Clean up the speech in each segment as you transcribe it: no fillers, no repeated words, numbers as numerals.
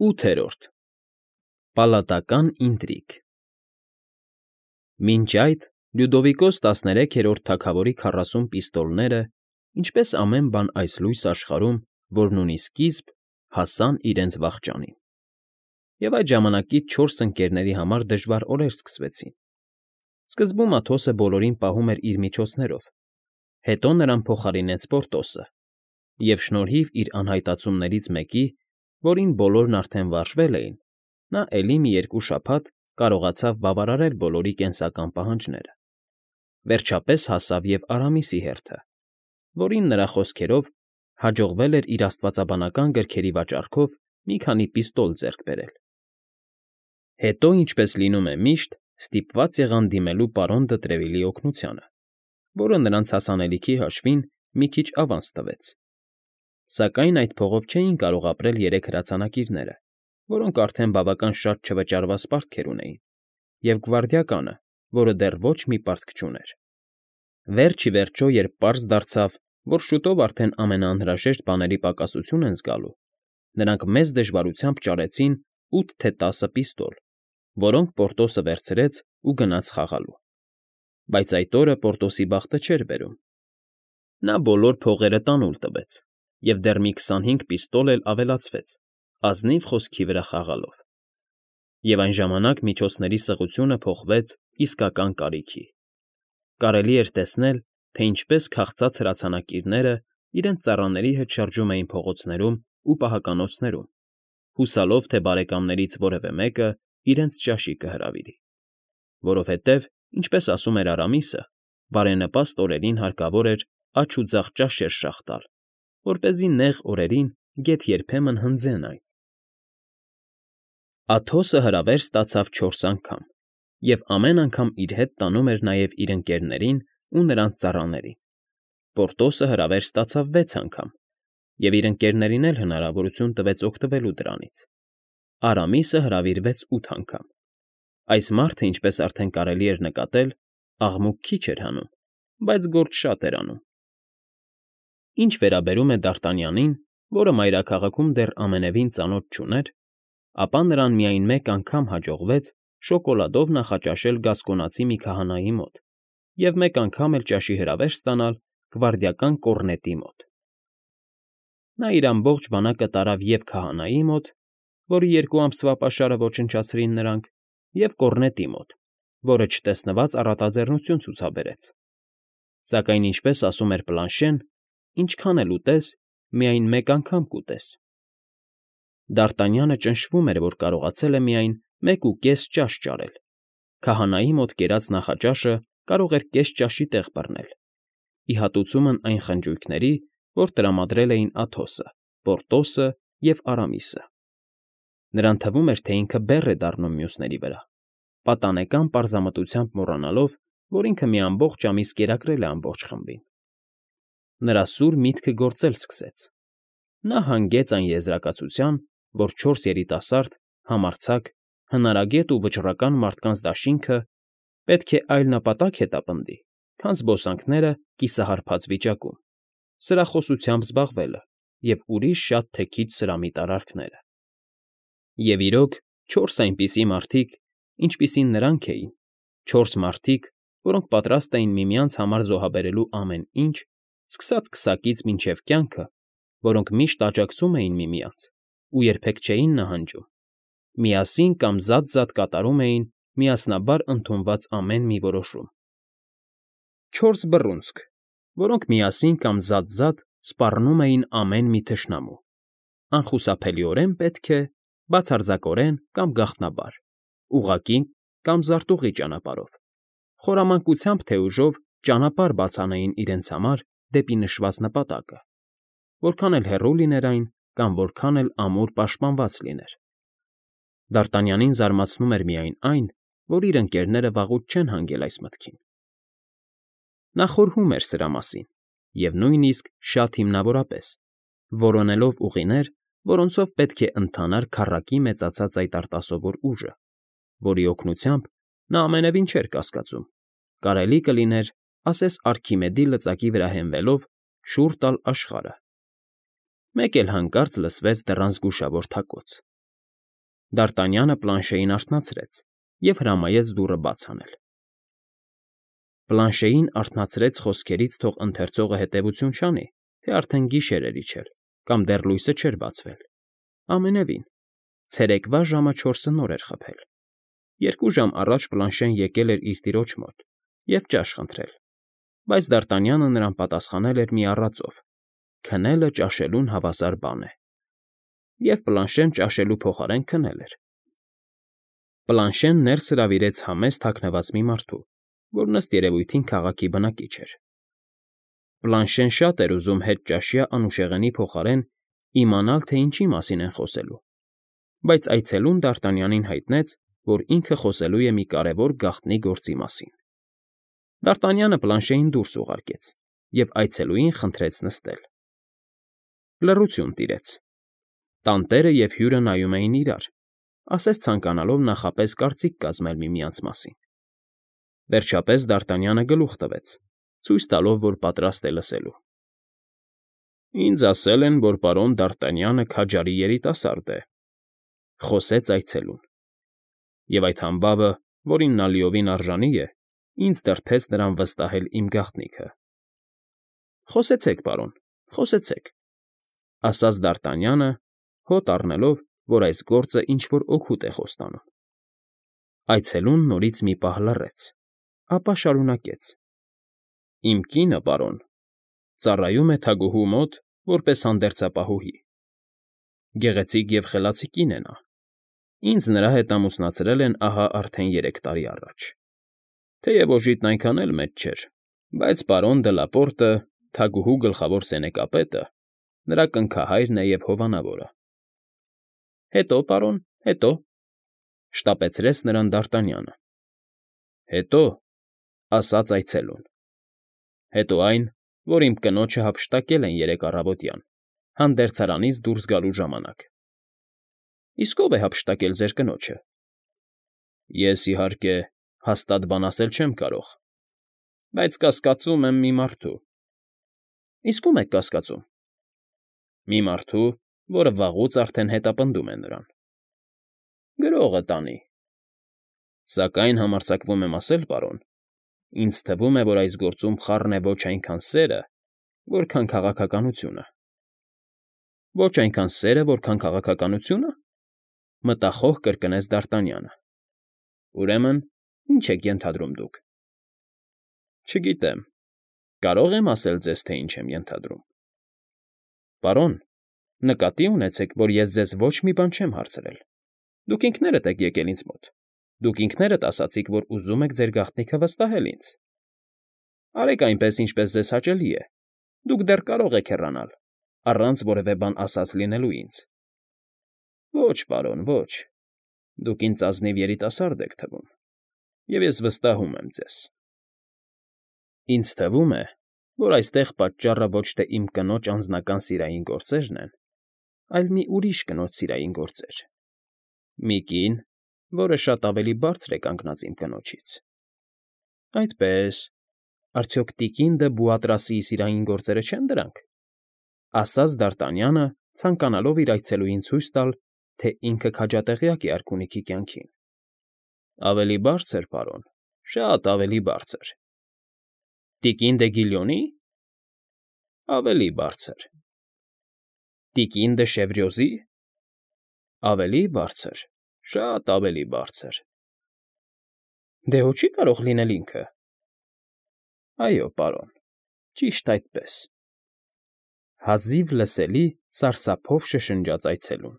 8-րդ Պալատական ինտրիգ Մինչ այդ Լյուդովիկոս 13-րդ թագավորի 40 պիստոլները, ինչպես ամեն բան այս լույս աշխարհում, որն ունի սկիզբ, հասան իրենց վախճանին, և այդ ժամանակից 4 ընկերների համար դժվար օրեր սկսվեցին. սկզբում Աթոսը բոլորին պահում էր իր միջոցներով, հետո նրան փոխարինեց Պորտոսը, և շնորհիվ իր անհայտացումներից մեկի, որին բոլորն արդեն վարժվել էին, նա էլի մի 2 շաբաթ կարողացավ բավարարել բոլորի կենսական պահանջները. վերջապես հասավ և Արամիսի հերթը, որին, նրա խոսքերով, հաջողվել էր իր աստվածաբանական գրքերի վաճառքով մի քանի պիստոլ ձեռք բերել. հետո, ինչպես լինում է միշտ, ստիպված եղան դիմելու պարոն Դտրևիլի օգնությանը, որը նրանց հասանելիքի հաշվին մի քիչ ավանս տվեց. սակայն այդ փողով չէին կարող ապրել 3 հրացանակիրները, որոնք արդեն բավական շատ չվճարված պարտքեր ունեին, և գվարդիականը, որը դեռ ոչ մի պարտք չուներ. վերջ ի վերջո, երբ պարզ դարձավ, որ շուտով արդեն ամենաանհրաժեշտ բաների պակասություն են զգալու, նրանք մեծ դժվարությամբ ճարեցին 8 թե 10 պիստոլ, որոնք Պորտոսը վերցրեց ու գնաց խաղալու. բայց այդ օրը Պորտոսի բախտը չէր բերում. նա բոլոր փողերը տանուլ տվեց, և դեռ մի 25 պիստոլ էլ ավելացվեց, ազնիվ խոսքի վրա խաղալով. և այն ժամանակ միջոցների սղությունը փոխվեց իսկական կարիքի. կարելի էր տեսնել, թե ինչպես քաղցած հրացանակիրները իրենց ծառաների հետ շրջում էին փողոցներում ու պահականոցներում, հուսալով, թե բարեկամներից որևէ մեկը իրենց ճաշի կհրավիրի, որովհետև, ինչպես ասում էր Արամիսը, բարենպաստ օրերին հարկավոր էր աջ ու ձախ ճաշեր շաղ տալ, որպեսզի նեղ օրերին գեթ երբեմն հնձեն այն. Աթոսը հրավեր ստացավ 4 անգամ, և ամեն անգամ իր հետ տանում էր նաև իր ընկերներին ու նրանց ծառաներին. Պորտոսը հրավեր ստացավ 6 անգամ, և իր ընկերներին էլ հնարավորություն տվեց օգտվելու դրանից. Արամիսը հրավիրվեց 8 անգամ. այս մարդը, ինչպես արդեն կարելի էր նկատել, աղմուկ քիչ էր հանում, բայց գործ շատ էր անում. Ինչ վերաբերում է Դարտանյանին, որը մայրաքաղաքում դեռ ամենևին ծանոթ չուներ, ապա նրան միայն մեկ անգամ հաջողվեց շոկոլադով նախաճաշել գասկոնացի մի քահանայի մոտ և մեկ անգամ էլ ճաշի հրավեր ստանալ գվարդիական կոռնետի մոտ. նա իր ամբողջ բանակը տարավ և քահանայի մոտ, որի 2 ամսվա պաշարը ոչնչացրին նրանք, և կոռնետի մոտ, որը չտեսնված առատաձեռնություն ցուցաբերեց. սակայն, ինչպես ասում էր Պլանշեն, ինչքան էլ ուտես, միայն մեկ անգամ կուտես. Դարտանյանը ճնշվում էր, որ կարողացել է միայն 1.5 ճաշ ճարել, քահանայի մոտ կերած նախաճաշը կարող էր կես ճաշի տեղ բռնել, ի հատուցումն այն խնջույքների, որ տրամադրել էին Աթոսը, Պորտոսը և Արամիսը. նրան թվում էր, թե ինքը բեռ է դառնում մյուսների վրա, պատանեկան պարզամտությամբ մոռանալով, որ ինքը մի ամբողջ ամիս կերակրել է ամբողջ խմբին. նրա սուր միտքը գործել սկսեց. նա հանգեց այն եզրակացության, որ 4 երիտասարդ, համարձակ, հնարագետ ու վճռական մարդկանց դաշինքը պետք է այլ նպատակ հետապնդի, քան զբոսանքները կիսահարբած վիճակում, սրախոսությամբ զբաղվելը և ուրիշ շատ թե քիչ սրամիտ արարքները. և իրոք, 4 այնպիսի մարդիկ, ինչպիսին նրանք էին, 4 մարդիկ, որոնք պատրաստ էին միմյանց համար զոհաբերելու ամեն ինչ, սկսած քսակից մինչև կյանքը, որոնք միշտ աջակցում էին միմյանց ու երբեք չէին նահանջում, միասին կամ զատ կատարում էին միասնաբար ընդունված ամեն մի որոշում. 4 բռունցք, որոնք միասին կամ զատ սպառնում էին ամեն մի թշնամու, անխուսափելիորեն պետք է, բացարձակորեն կամ գաղտնաբար, ուղղակի կամ զարտուղի ճանապարհով, խորամանկությամբ թե ուժով ճանապարհ բաց անեին իրենց համար դեպի նշված նպատակը, որքան էլ հեռու լիներ այն կամ որքան էլ ամուր պաշտպանված լիներ. Դարտանյանին զարմացնում էր միայն այն, որ իր ընկերները վաղուց չեն հանգել այս մտքին. նա խորհում էր սրա մասին և նույնիսկ շատ հիմնավորապես, որոնելով ուղիներ, որոնցով պետք է ընթանար քառակի մեծացած այդ արտասովոր ուժը, որի օգնությամբ նա ամենևին չէր կասկածում, կարելի կլիներ, ասես Արքիմեդի լծակի վրա հենվելով, շուռ տալ աշխարհը. մեկ էլ հանկարծ լսվեց դռան զգուշավոր թակոց, Դարտանյանը պլանշեին արթնացրեց և հրամայեց դուռը բաց անել։ Պլանշեին արթնացրեց խոսքերից թող ընթերցողը հետևություն չանի, թե արդեն գիշեր էր իջել, կամ դեռ լույսը չէր բացվել։ Ամենևին, ցերեկվա ժամը 4-ը նոր էր խփել։ 2 ժամ առաջ Պլանշեն եկել էր իր տիրոջ մոտ և ճաշ խնդրել, բայց Դարտանյանը նրան պատասխանել էր մի առածով. քնելը ճաշելուն հավասար բան է, և Պլանշեն ճաշելու փոխարեն քնել էր։ Պլանշեն ներս հրավիրեց համեստ հագնված մի մարդու, որ ըստ երևույթին քաղաքի բնակիչ էր։ Պլանշեն շատ էր ուզում հետճաշյա անուշեղենի փոխարեն իմանալ, թե ինչի մասին են խոսելու, բայց այցելուն Դարտանյանին հայտնեց, որ ինքը խոսելու է մի կարևոր գաղտնի գործի մասին։ Դարտանյանը Պլանշեին դուրս ուղարկեց և այցելուին խնդրեց նստել։ Լռություն տիրեց։ Տանտերը և հյուրը նայում էին իրար, ասես ցանկանալով նախապես կարծիք կազմել միմյանց մասին։ Վերջապես Դարտանյանը գլուխ տվեց, ցույց տալով, որ պատրաստ է լսելու։ «Ինձ ասել են, որ պարոն Դարտանյանը քաջարի երիտասարդ է», ֊ խոսեց այցելուն, «և այդ համբավը, որին նա լիովին արժանի է, ինձ դրդեց նրան վստահել իմ գաղտնիքը»։ «Խոսեցեք, պարոն, խոսեցեք», ֊ ասաց Դարտանյանը, հոտ առնելով, որ այս գործը ինչ֊որ օգուտ է խոստանում։ Այցելուն նորից մի պահ լռեց, ապա շարունակեց. «Իմ կինը, պարոն, ծառայում է թագուհու մոտ որպես հանդերձապահուհի։ Գեղեցիկ և խելացի կին է նա։ Ինձ նրա հետ ամուսնացրել են ահա արդեն 3 տարի առաջ։ Թեև օժիտն այնքան էլ մեծ չէր, բայց պարոն Դլապորտը, թագուհու գլխավոր սենեկապետը, նրա կնքահայրն է և հովանավորը»։ «Հետո, պարոն, հետո,֊ շտապեցրեց նրան Դարտանյանը։ «Հետո,֊ ասաց այցելուն,֊ հետո այն, որ իմ կնոջը հափշտակել են երեկ առավոտյան, հանդերձարանից դուրս գալու ժամանակ»։ «Իսկ ո՞վ է հափշտակել ձեր կնոջը»։ «Ես, իհարկե, հաստատ բան ասել չեմ կարող, բայց կասկածում եմ մի մարդու»։ «Իսկ ո՞ւմ եք կասկածում»։ «Մի մարդու, որը վաղուց արդեն հետապնդում է նրան»։ «Գրողը տանի»։ «Սակայն համարձակվում եմ ասել, պարոն, ինձ թվում է, որ այս գործում խառն է ոչ այնքան սերը, որքան քաղաքականությունը»։ «Ոչ այնքան սերը, որքան քաղաքականությո՞ւնը», ֊ մտախոհ կրկնեց Դարտանյանը։ «Ուրեմն, ի՞նչ եք ենթադրում դուք»։ «Չգիտեմ, կարո՞ղ եմ ասել ձեզ, թե ինչ եմ ենթադրում»։ «Պարոն, նկատի ունեցեք, որ ես ձեզ ոչ մի բան չեմ հարցրել։ Դուք ինքներդ եք եկել ինձ մոտ, դուք ինքներդ ասացիք, որ ուզում եք ձեր գաղտնիքը վստահել ինձ։ Արեք այնպես, ինչպես ձեզ հաճելի է, դուք դեռ կարող եք հեռանալ, առանց որևէ բան ասած լինելու ինձ»։ «Ոչ, պարոն, ոչ, դուք ինձ ազնիվ երիտասարդ եք թվում, և ես վստահում եմ ձեզ։ Ինձ թվում է, որ այստեղ պատճառը ոչ թե իմ կնոջ անձնական սիրային գործերն են, այլ մի ուրիշ կնոջ սիրային գործեր։ Մի կին, որը շատ ավելի բարձր է կանգնած իմ կնոջից»։ «Այդպե՞ս, արդյոք տիկին դը Բուատրասիի սիրային գործերը չեն դրանք», ֊ ասաց Դարտանյանը, ցանկանալով իր այցելուին ցույց տալ, թե ինքը քաջատեղյակ է արքունիքի կյանքին։ «Ավելի բարձր, պարոն, շատ ավելի բարձր»։ «Տիկին դե Գիլյոնի»։ «Ավելի բարձր»։ «Տիկին դե Շևրյոզի»։ «Ավելի բարձր, շատ ավելի բարձր»։ «Դե հո չի կարող լինել ինքը»։ «Այո, պարոն, ճիշտ այդպես»։ Հազիվ լսելի սարսափով շշնջաց այցելուն։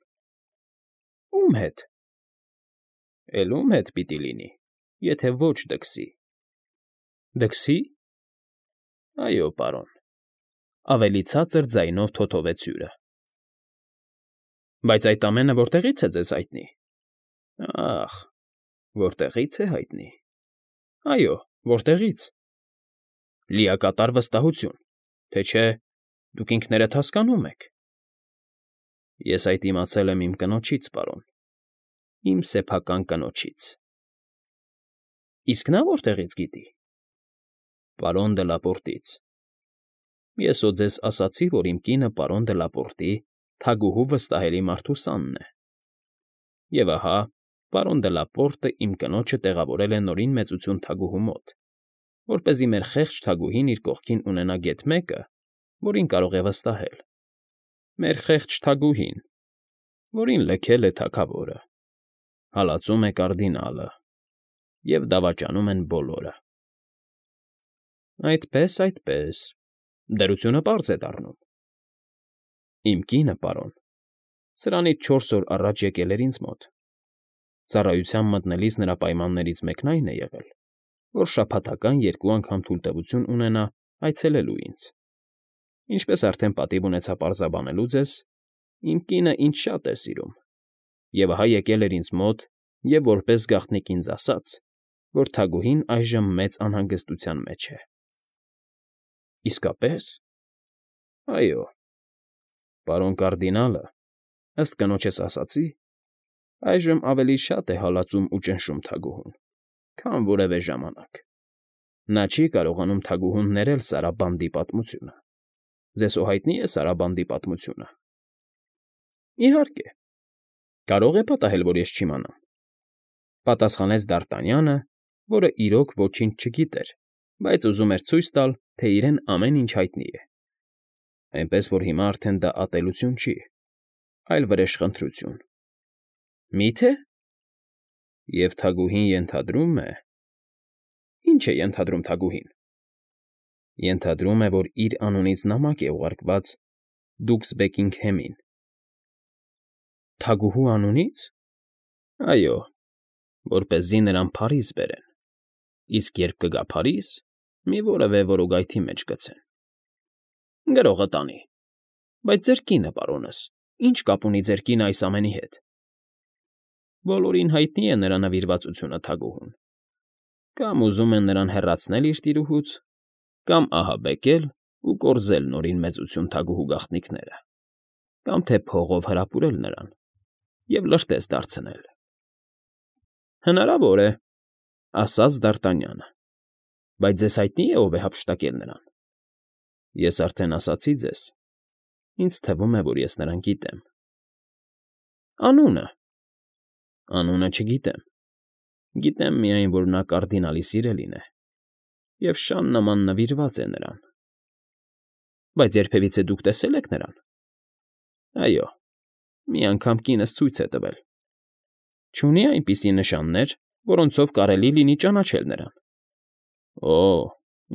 «Ո՞ւմ հետ»։ «Էլ ո՞ւմ հետ պիտի լինի, եթե ոչ դքսի»։ «Դքսի»։ «Այո, պարոն», ֊ ավելի ցածր ձայնով թոթովեց հյուրը։ «Բայց այդ ամենը որտեղի՞ց է ձեզ հայտնի»։ «Ախ, որտեղի՞ց է հայտնի։ Այո, որտեղի՞ց։ Լիակատար վստահություն, թե չէ, դուք ինքներդ հասկանում եք»։ «Ես այդ իմացել եմ իմ կնոջից, պարոն, իմ սեփական կնոջից»։ «Իսկ նա որտեղի՞ց գիտի»։ «Պարոն Դլապորտից։ Ես հո ձեզ ասացի, որ իմ կինը պարոն Դլապորտի՝ թագուհու վստահելի մարդու սանն է»։ Եվ ահա, պարոն Դելապորտը իմ կնոջը տեղավորել է նորին մեծություն թագուհու մոտ, որպեսզի մեր խեղճ թագուհին իր կողքին ունենա գեթ մեկը, որին կարող է վստահել։ Մեր խեղճ թագուհին, որին լքել է թագավորը, հալածում է կարդինալը, և դավաճանում են բոլորը։ Այդպես, այդպես, դրությունը պարզ է դառնում։ Իմ կինը, պարոն, սրանից 4 օր առաջ եկել էր ինձ մոտ։ Ծառայության մտնելիս նրա պայմաններից մեկն այն է եղել, որ շաբաթական 2 անգամ թույլտվություն ունենա այցելելու ինձ։ Ինչպես արդեն պատիվ ունեցա պարզաբանելու ձեզ, իմ կինը ինձ շատ է սիրում, և ահա եկել էր ինձ մոտ և որպես գաղտնիք ինձ ասաց, որ թագուհին այժմ մեծ անհանգստության մեջ է։ Իսկապես։ Այո, պարոն կարդինալը, ըստ կնոջս ասացի, այժմ ավելի շատ է հալածում ու ճնշում թագուհուն, քան որևէ ժամանակ։ Նա չի կարողանում թագուհուն ներել Սարաբանդի պատմությունը։ Ձեզ հո հայտնի է Սարաբանդի պատմությունը։ Իհարկե, կարող է պատահել, որ ես չիմանամ, պատասխանեց Դարտանյանը, որը իրոք ոչինչ չգիտեր, բայց ուզում էր ցույց տալ, թե իրեն ամեն ինչ հայտնի է, այնպես որ հիմա արդեն դա ատելություն չի, այլ վրեժխնդրություն։ Մի՞թե։ Եվ թագուհին ենթադրում է… Ինչ է ենթադրում թագուհին։ Ենթադրում է, որ իր անունից նամակ է ուղարկված դուքս Բեքինգհեմին։ Թագուհու անունի՞ց։ Այո, որպեսզի նրան Փարիզ բերեն, իսկ երբ կգա Փարիզ, մի որևէ որոգայթի մեջ գցեն։ Գրողը տանի։ Բայց ձեր կինը, պարոնս, ի՞նչ կապ ունի ձեր կինը այս ամենի հետ։ Բոլորին հայտնի է նրա նվիրվածությունը թագուհուն։ Կամ ուզում են նրան հեռացնել իր տիրուհուց, կամ ահաբեկել ու կորզել նորին մեծություն թագուհու գաղտնիքները, կամ թե փողով հրապուրել նրան և լրտես դարձնել։ Հնարավոր է, ասաց Դարտանյանը, բայց ձեզ հայտնի է, ով է հափշտակել նրան։ Ես արդեն ասացի ձեզ, ինձ թվում է, որ ես նրան գիտեմ։ Անունը։ Անունը չգիտեմ։ Գիտեմ միայն, որ նա կարդինալի սիրելին է, և շան նման նվիրված է նրան։ Բայց երբևիցե դուք տեսե՞լ եք նրան։ Այո, մի անգամ կինս ցույց է տվել։ Չունի՞ այնպիսի նշաններ, որոնցով կարելի լինի ճանաչել նրան։ Օ,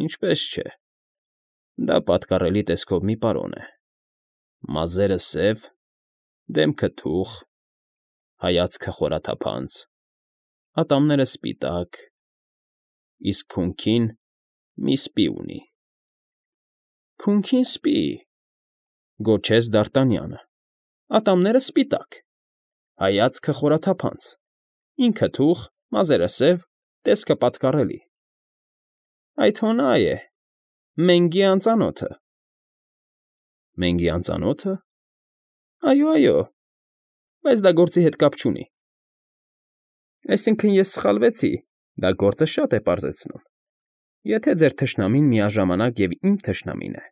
ինչպես չէ։ Դա պատկառելի տեսքով մի պարոն է։ Մազերը սև, դեմքը թուխ, հայացքը խորաթափանց, ատամները սպիտակ, իսկ քունքին մի սպի ունի։ Քունքին սպի, գոչեց Դարտանյանը, ատամները սպիտակ, հայացքը խորաթափանց, ինքը թուխ, մազերը սև, տեսքը պատկառելի։ Այդ հո նա է, Մենգի անծանոթը։ Մենգի անծանո՞թը։ Այո, այո, բայց դա գործի հետ կապ չունի։ Այսինքն ես սխալվեցի, դա գործը շատ է պարզեցնում։ Եթե ձեր թշնամին միաժամանակ և իմ թշնամին է,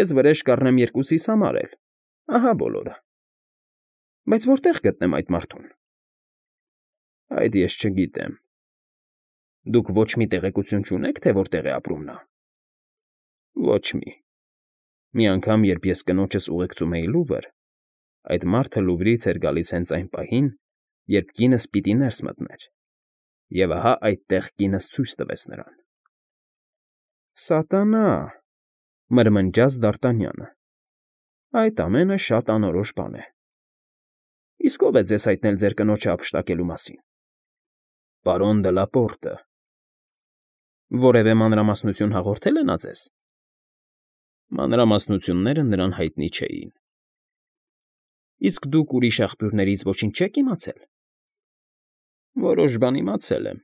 ես վրեժ կառնեմ երկուսիս համար էլ, ահա բոլորը։ Բայց որտե՞ղ գտնեմ այդ մարդուն։ Այդ ես չգիտեմ։ Դուք ոչ մի տեղեկություն չունեք, թե որտեղ է ապրում նա։ Ոչ մի։ Մի անգամ, երբ ես կնոջս ուղեկցում էի Լուվր, այդ մարդը Լուվրից էր գալիս հենց այն պահին, երբ կինս պիտի ներս մտներ, և ահա այդտեղ կինս ցույց տվեց նրան։ Սատանա, մրմնջաց Դարտանյանը։ Այդ ամենը շատ անորոշ բան է։ Իսկ ո՞վ է ձեզ հայտնել ձեր կնոջը հափշտակելու մասին։ Պարոն Դելապորտը։ Որևէ մանրամասնություն հաղորդել է նա ձեզ։ Մանրամասնությունները նրան հայտնի չէին։ Իսկ դուք ուրիշ աղբյուրներից ոչինչ չեք իմացել։ Որոշ բան իմացել եմ։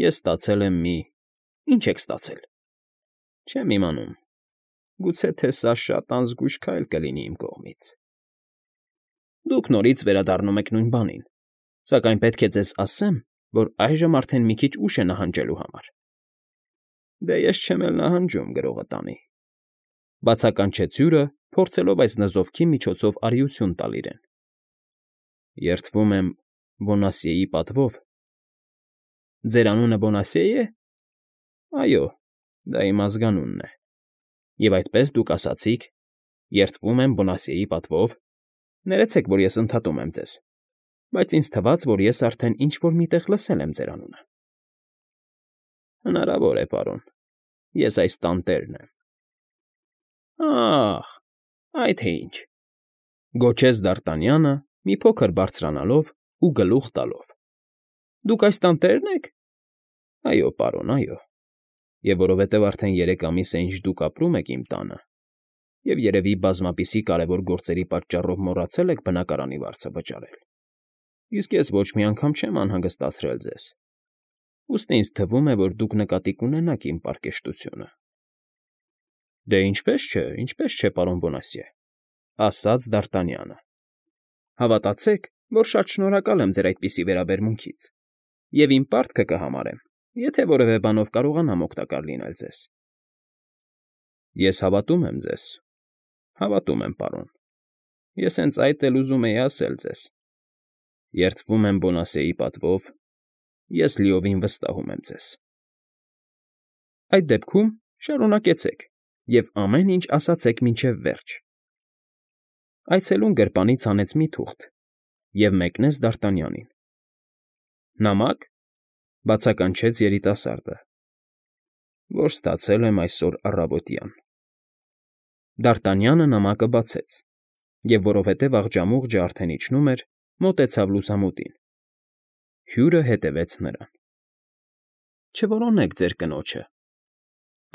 Ես ստացել եմ մի… Ինչ եք ստացել։ Չեմ իմանում։ Գուցե թե սա շատ անզգույշ քայլ կլինի իմ կողմից։ Դուք նորից վերադառնում եք նույն բանին, սակայն պետք է ձեզ ասեմ, որ այժմ արդեն մի քիչ ուշ է նահանջելու համար։ Դե ես չեմ էլ նահանջում, գրողը տանի, բացականչեց հյուրը, փորձելով այս նզովքի միջոցով արիություն տալ իրեն։ Երդվում եմ Բոնասիեի պատվով։ Ձեր անունը Բոնասիե է։ Այո, դա իմ ազգանունն է։ Եվ այդպես դուք ասացիք. երդվում եմ Բոնասիեի պատվով։ Ներեցեք, որ ես ընդհատում եմ ձեզ, բայց ինձ թվաց, որ ես արդեն ինչ֊որ միտեղ լսել եմ ձեր անունը։ Հնարավոր է, պարոն, ես այս տանտերն եմ։ Ախ, այդ թե ինչ,֊ գոչեց Դ'Արտանյանը, մի փոքր բարձրանալով ու գլուխ տալով։ Դուք այս տանտերն եք։ Այո, պարոն, այո։ Եվ որովհետև արդեն 3 ամիս է, ինչ դուք ապրում եք իմ տանը, և երևի բազմապիսի կարևոր գործերի պատճառով մոռացել եք բնակարանի վարձը վճարել, իսկ ես ոչ մի անգամ չեմ անհանգստացրել ձեզ, ուստի ինձ թվում է, որ դուք նկատի կունենաք իմ պարկեշտությունը։ Դե ինչպես չէ, պարոն Բոնասիե,֊ ասաց Դ'Արտանյանը։ Հավատացեք, որ շատ շնորհակալ եմ ձեր այդպիսի վերաբերմունքից, և իմ պարտքը կհամարեմ, եթե որևէ բանով կարողանամ օգտակար լինել ձեզ։ Ես հավատում եմ ձեզ, հավատում եմ, պարոն, ես հենց այդ էլ ուզում էի ասել ձեզ։ Երդվում եմ Բոնասիեի պատվով, ես լիովին վստահում եմ ձեզ։ Այդ դեպքում շարունակեցեք և ամեն ինչ ասացեք մինչև վերջ։ Այցելուն գրպանից հանեց մի թուղթ և մեկնեց Դ'Արտանյանին։ Նամա՞կ,֊ բացականչեց երիտասարդը, որ ստացել եմ այսօր առավոտյան։ Դ'Արտանյանը նամակը բացեց և, որովհետև աղջամուղջը արդեն իջնում էր, մոտեցավ լուսամուտին։ Հյուրը հետևեց նրան։ Չորոնեք ձեր կնոջը,֊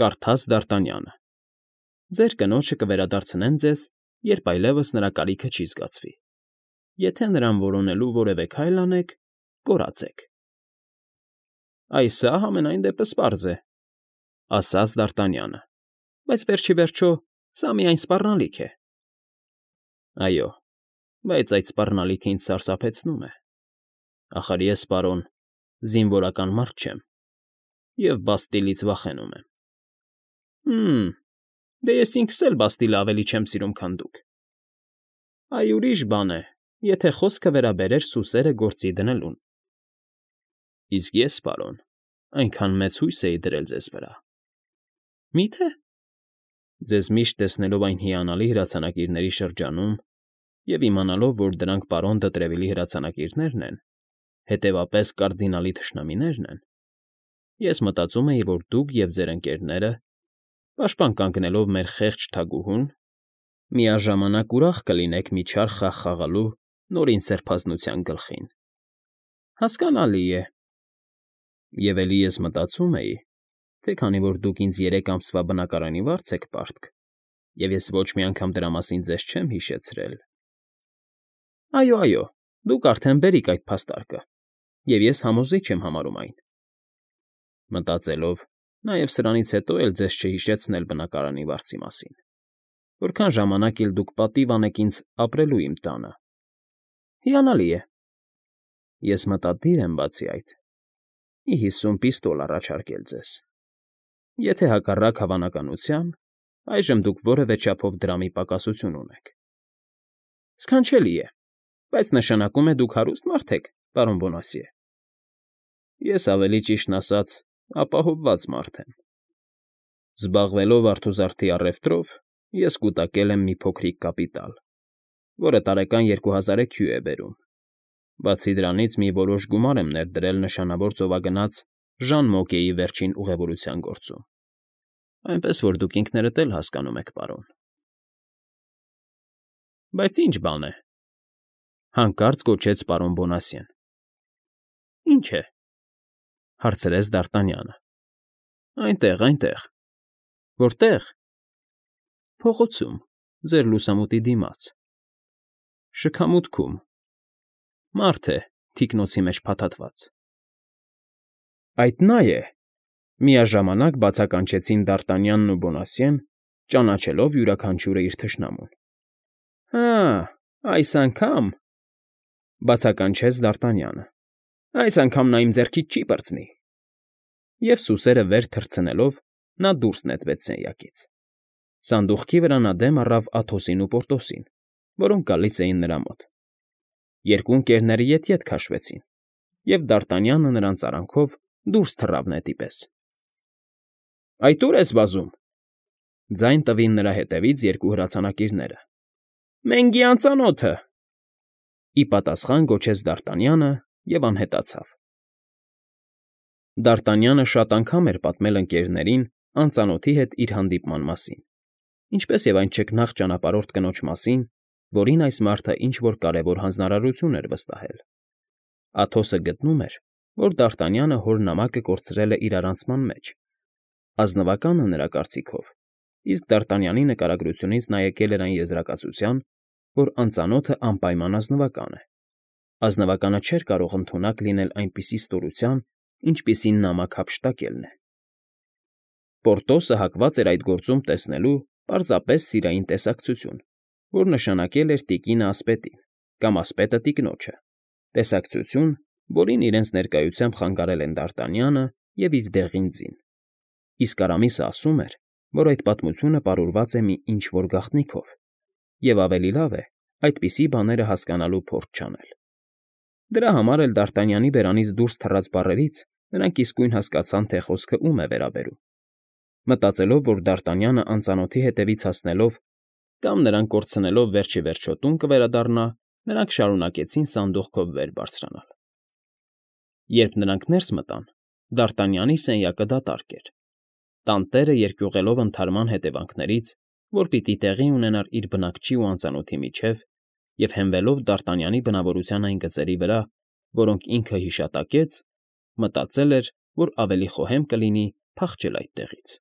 կարդաց Դ'Արտանյանը։ Ձեր կնոջը կվերադարձնեն ձեզ, երբ այլևս նրա կարիքը չի զգացվի։ Եթե նրան որոնելու որևէ քայլ անեք, կորացեք։ Այ սա համենայն դեպս պարզ է,֊ ասաց Դ'Արտանյանը, բայց վերջիվերջո սա միայն սպառնալիք է։ Այո, բայց այդ սպառնալիքը ինձ սարսափեցնում է։ Ախր ես, պարոն, զինվորական մարդ չեմ և Բաստիլից վախենում եմ։ Դե ես ինքս էլ Բաստիլը ավելի չեմ սիրում, քան դուք։ Այ ուրիշ բան է, եթե խոսքը վերաբերեր սուսերը գործի դնելուն։ Իսկ ես, պարոն, այնքան մեծ հույս էի դրել ձեզ վրա։ Մի՞թե։ Ձեզ միշտ տեսնելով այն հիանալի հրացանակիրների շրջանում և իմանալով, որ դրանք պարոն Դը հրացանակիրներն են, հետևապես կարդինալի թշնամիներն են, ես մտածում էի, որ դուք և ձեր ընկերները, պաշտպան կանգնելով մեր խեղճ թագուհուն, միաժամանակ ուրախ կլինեք մի չար խաղ խաղալու Նորին Սրբազնության գլխին։ Հասկանալի է։ Եվ էլի ես մտածում էի, թե քանի որ դուք ինձ 3 ամսվա բնակարանի վարձ եք պարտք, և ես ոչ մի անգամ դրա մասին ձեզ չեմ հիշեցրել… Այո, դուք արդեն բերիք այդ փաստարկը, և ես համոզիչ եմ համարում այն։ Մտածելով, նաև սրանից հետո էլ ձեզ չհիշեցնել բնակարանի վարձի մասին, որքան ժամանակ էլ դուք պատիվ անեք ինձ ապրելու իմ տանը։ Հիանալի է։ Ես մտադիր եմ, բացի այդ, մի 50 պիստոլ առաջարկել ձեզ, եթե հակառակ հավանականության այժմ դուք որևէ չափով դրամի պակասություն ունեք։ Սքանչելի է, բայց նշանակում է դուք հարուստ մարդ եք, պարոն Բոնասիե։ Ես ավելի ճիշտն ասած ապահովված մարդ եմ։ Զբաղվելով արթուզարդի առևտրով, ես կուտակել եմ մի փոքրիկ կապիտալ, որը տարեկան 2000 EQ է բերում։ Բացի դրանից մի որոշ գումար եմ ներդրել նշանավոր ծովագնաց Ժան Մոկեի վերջին ուղևորության գործում, այնպես որ դուք ինքներդ էլ հասկանում եք, պարոն։ Բայց ի՞նչ բան է,֊ հանկարծ գոչեց պարոն Բոնասիեն։ Ի՞նչ է,֊ հարցրեց Դ'Արտանյանը։ Այնտեղ։ Որտե՞ղ։ Փողոցում, ձեր լուսամուտի դիմաց։ Շքամուտքում։ Մարդ է, թիկնոցի մեջ փաթաթված։ Այդ նա է,֊ միաժամանակ բացականչեցին Դ'Արտանյանն ու Բոնասիեն, ճանաչելով յուրաքանչյուրը իր թշնամուն։ Հա, այս անգամ,֊ բացականչեց Դ'Արտանյանը,֊ այս անգամ նա իմ ձեռքից չի պրծնի։ Եվ սուսերը վեր թռցնելով նա դուրս նետվեց սենյակից։ Սանդուղքի վրա նա դեմ առավ Աթոսին ու Պորտոսին, որոնք գալիս էին նրա մոտ։ Երկու ընկերները ետ քաշվեցին, և Դարտանյանը նրանց արանքով դուրս թռավ նետի պես։ ֊ Այդ ո՞ւր ես վազում,֊ ձայն տվին նրա հետևից երկու հրացանակիրները։ ֊ Մենգի անծանոթը,֊ ի պատասխան գոչեց Դարտանյանը և անհետացավ։ Դարտանյանը շատ անգամ էր պատմել ընկերներին անծանոթի հետ իր հանդիպման մասին, ինչպես և այն չքնաղ ճանապարհորդ կնոջ մասին, որին այս մարդը ինչ֊որ կարևոր հանձնարարություն էր վստահել։ Աթոսը գտնում էր, որ Դարտանյանը հոր նամակը կորցրել է իրարանցման մեջ, ազնվականը նրա կարծիքով, իսկ Դարտանյանի նկարագրությունից նա եկել էր այն եզրակացության, որ անծանոթը անպայման ազնվական է։ Ազնվականը չէր կարող ընդունակ լինել այնպիսի ստորության, ինչպիսին նամակ հափշտակելն է։ Պորտոսը հակված էր այդ գործում տեսնելու պարզապես սիրային տեսակցություն, որ նշանակել էր տիկինը ասպետին կամ ասպետը տիկնոջը, տեսակցություն, որին իրենց ներկայությամբ խանգարել են Դարտանյանը և իր դեղին ձին։ Իսկ Արամիսը ասում էր, որ այդ պատմությունը պարուրված է մի ինչ֊որ գաղտնիքով, և ավելի լավ է այդպիսի բաները հասկանալու փորձ չանել։ Դրա համար էլ Դարտանյանի բերանից դուրս թռած բառերից նրանք իսկույն հասկացան, թե խոսքը ում է վերաբերում։ Մտածելով, որ Դարտանյանը անծանոթի հետևից հասնելով կամ նրան կորցնելով վերջիվերջո տուն կվերադառնա, նրանք շարունակեցին սանդուղքով վեր բարձրանալ։ Երբ նրանք ներս մտան, Դարտանյանի սենյակը դատարկ էր։ Տանտերը երկյուղելով ընդհարման հետևանքներից, որ պիտի տեղի ունենար իր բնակչի ու անծանոթի միջև, և հենվելով Դարտանյանի բնավորության այն գծերի վրա, որոնք ինքը հիշատակեց, մտածել էր, որ ավելի խոհեմ կլինի փախչել այդտեղից։